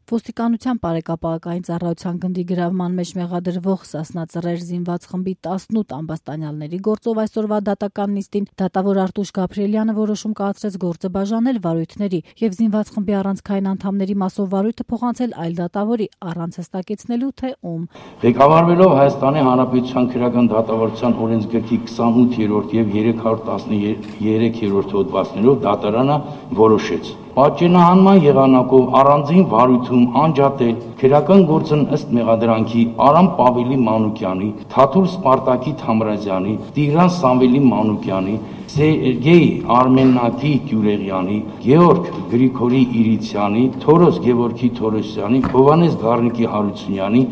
Ոստիկանության բարեկապահական ծառայության գնդի գրավման մեջ մեղադրվող Սասնա Ծռեր զինված խմբի 18 ամբաստանյալների գործով այսօրվա դատական նիստին դատավոր Արտուշ Գաբրիելյանը որոշում կայացրեց գործը բաժանել վարույթների եւ զինված խմբի առանցքային անդամների մասով վարույթը փոխանցել այլ դատավորի առանց հստակեցնելու թե ում։ Ղեկավարվելով Հայաստանի Հանրապետության քրեական դատավարության օրենսգրքի 28-րդ եւ 313-րդ հոդվածներով դատարանը որոշեց պատճենահանման եղանակով առանձին վարույթում անջատել քրեական գործն ըստ մեղադրանքի Արամ Պավելի Մանուկյանի, Թաթուլ Սպարտակի Թամրազյանի, Տիգրան Սամվելի Մանուկյանի, Սերգեյ Արմենակի Գյուրեղյանի, Գեորգ Գրիգորի Իրիցյանի, Թորոս Գևորգի Թորոսյանի, Հովանես Գառնիկի Հարությունյանի,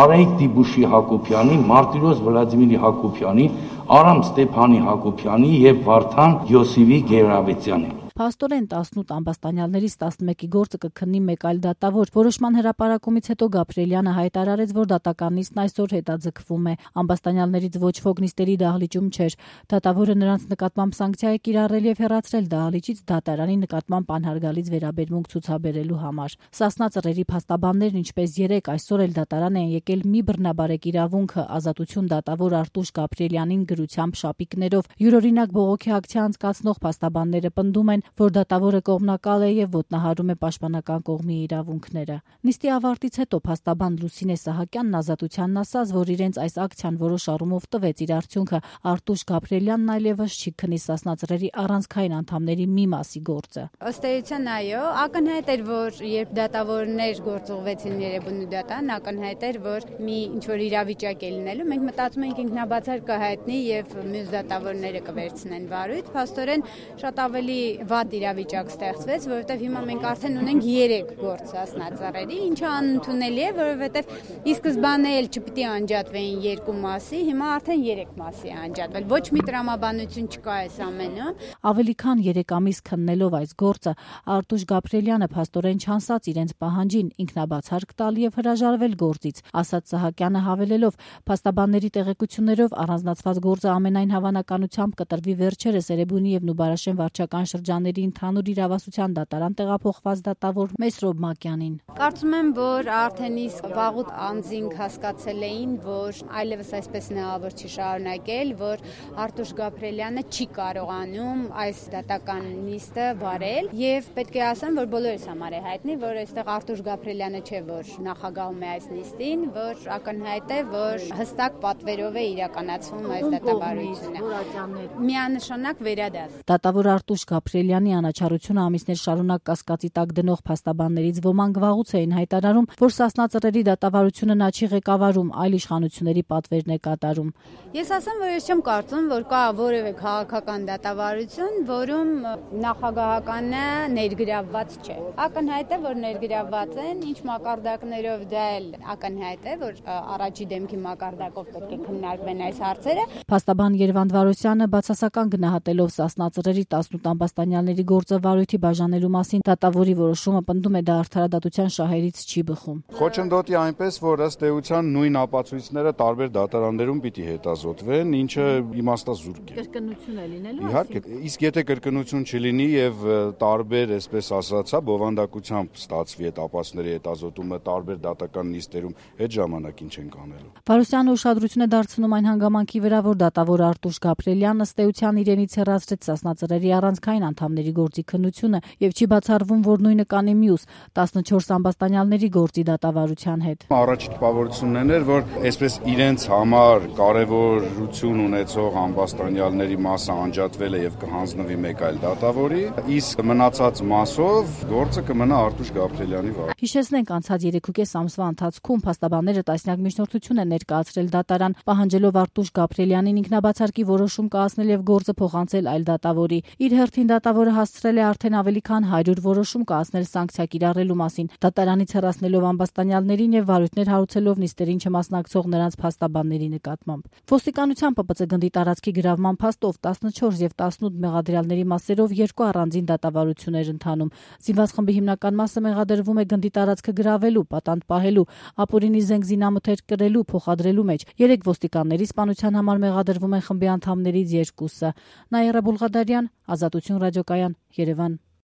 Արայիկ Դիբուշի Հակոբյանի, Մարտիրոս Վլադիմիրի Հակոբյանի, Արամ Ստեփանի Հակոբյանի եւ Վարդան Յոսիֆի Գերավետյանի։ Փաստորեն 18 ամբաստանյալներից 11-ի գործը կքննի մեկ այլ դատավոր։ Որոշման հրապարակումից հետո Գաբրիելյանը հայտարարեց, որ դատական նիստն այսօր հետաձգվում է։ Ամբաստանյալներից ոչ ոք նիստերի դահլիճում չէր։ Դատավորը նրանց նկատմամբ սանկցիա է կիրառել եւ հեռացրել դահլիճից դատարանի նկատմամբ անհարգալից վերաբերմունք ցուցաբերելու համար։ Սասնա Ծռերի փաստաբաններն ինչպես 3 այսօր էլ դատարան են եկել մի բռնաբարեք իրավունքը ազատություն դատավոր Արտուշ Գաբրիելյանին գրությամբ շապիկներով։ Յուրօրինակ բողոքի ակցիա անցկացնող փաստաբանները պնդում են, որ դատավորը կողմնակալ է եւ ոտնահարում է պաշտպանական կողմի իրավունքները։ Նիստի ավարտից հետո փաստաբան Լուսինե Սահակյանն ազատությանն ասաց, որ իրենց այս ակցիան որոշ առումով տվեց իր արդյունքը։ Արթուշ Գաբրիելյանն այլևս չի քննի Սասնա Ծռերի առանցքային անդամների մի մասի գործը։ Ըստ էության, այո, ակնհայտ էր, որ երբ դատավորներ գործուղվեցին Երևանի դատարան, ակնհայտ էր, որ մի ինչ-որ իրավիճակ է լինելու։ Մենք մտածում ենք ինքնաբացար կհայտնի եւ մյուս դատավորները կվերցնեն վարույթ։ Փաստորեն շատ ավելի վատ իրավիճակ ստեղծվեց, որովհետև հիմա մենք արդեն ունենք 3 գործ Սասնա Ծռերի, ինչը անընդունելի է, որովհետև ի սկզբանե էլ չպիտի անջատվեին 2 մասի, հիմա արդեն 3 մասի է անջատվել։ Ոչ մի տրամաբանություն չկա այս ամենում։ Ավելի քան 3 ամիս քննելով այս գործը, Արտուշ Գաբրիելյանը փաստորեն չանսած իրենց պահանջին ինքնաբացարկ տալ եւ հրաժարվել գործից, ասաց Սահակյանը հավելելով, փաստաբանների տեղեկություններով առանձնացված գործը ամենայն հավանականությամբ կտրվի վերջերս Էրեբունի եւ Նուբարաշեն վարչական շրջանների ընդհանուր իրավասության դատարան տեղափոխված դատավոր Մեսրոբ Մակյանին։ Կարծում եմ, որ արդեն իսկ վաղուց անձինք հասկացել էին, որ այլևս այսպես նեղավոր չի շարունակել, որ Արտուշ Գաբրիելյանը չի կարողանում այս դատական նիստը վարել եւ պետք է ասեմ, որ բոլորիս համար է հայտնի, որ այստեղ Արտուշ Գաբրիելյանը չէ, որ նախագահում է այս նիստին, որ ակնհայտ է, որ հստակ պատվերով է իրականացվում այս դատավարությունը։ Միանշանակ վերադաս։ Դատավոր Արտուշ Գաբրիելյանի անաչառությունը ամիսներ շարունակ կասկածի տակ դնող փաստաբաններից ոմանք վաղուց էին հայտարարում, որ Սասնա Ծռերի դատավարությունը նա չի ղեկավարում, այլ իշխանությունների պատվերն է կատարում։ Ես ասեմ, որ ես չեմ կարծում, որ կա որևէ քաղաքական դատավարություն, որում նախագահականը ներգրավված չէ։ Ակնհայտ է, որ ներգրավված են, ինչ մակարդակներով դա էլ ակնհայտ է, որ առաջի դեմքի մակարդակով պետք է քննարկվեն այս հարցերը։ Փաստաբան Երվանդ Վարոսյանը բացասական գնահատելով Սասնա Ծռերի 18 ամբաստանյալների գործը վարույթի բաժանելու մասին դատավորի որոշումը պնդում է դա արդարադատության շահերից չի բխում։ Խոչընդոտի այնպես, որ ըստ էության նույն ապացույցները տարբեր դատարաններում պիտի հետազոտվեն, ինչը իմաստազուրկ է։ Կրկնություն է լինելու։ Իհարկե, իսկ եթե կրկնություն չլինի եւ տարբեր, այսպես ասած, բովանդակությամբ ստացվի այդ ապացույցների հետազոտումը տարբեր դատական նիստերում, այդ ժամանակին չենք անելու։ Վարոսյանը ուշադրություն է դարձնում այն հանգամանքի վրա, որ դատավոր Արտուշ Գաբրիելյանը ըստ էության իրենից հեռացրեց Սասնա Ծռերի առանցքային անդամների գործի քննությունը եւ չի բացառվում, որ նույնը կանի մյուս 14 ամբաստանյալների գործի դատավարության հետ։ Առաջի տպավորությունն էր, որ այսպես իրենց համար կարևորություն ունեցող ամբաստանյալների մասը անջատվել է եւ կհանձնվի մեկ այլ դատավորի, իսկ մնացած մասով գործը կմնա Արտուշ Գաբրիելյանի վրա։ Հիշեցնենք, անցած 3.5 ամսվա ընթացքում փաստաբանները տասնյակ միջնորդություն են ներկայացրել դատարան, պահանջելով Արտուշ Գաբրիելյանին ինքնաբացարկի որոշում կայացնել եւ գործը փոխանցել այլ դատավորի։ Իր հերթին դատավորը հասցրել է արդեն ավելի քան 100 որոշում կայացնել սանկցիա կիրառելու մասին, դատարանից հեռացնելով ամբաստանյալներին եւ վարույթներ հարուցելով նիստերին չմասնակցող նրանց փաստաբանների նկատմամբ։ Ոստիկանության ՊՊՑ գնդի տարածքի գրավման փաստով 14 եւ 18 մեղադրյալների մասերով 2 առանձին դատավարություններ ընթանում։ Զինված խմբի հիմնական մասը մեղադրվում է գնդի տարածքը գրավելու, պատանդ պահելու, ապօրինի զենք զինամթերք կրելու, փոխադրելու մեջ։ 3 ոստիկանների սպանության համար մեղադրվում են խմբի անդամներից 2-ը։ Նաիրա Բուլղադարյան, Ազատություն ռադիոկայան, Երևան։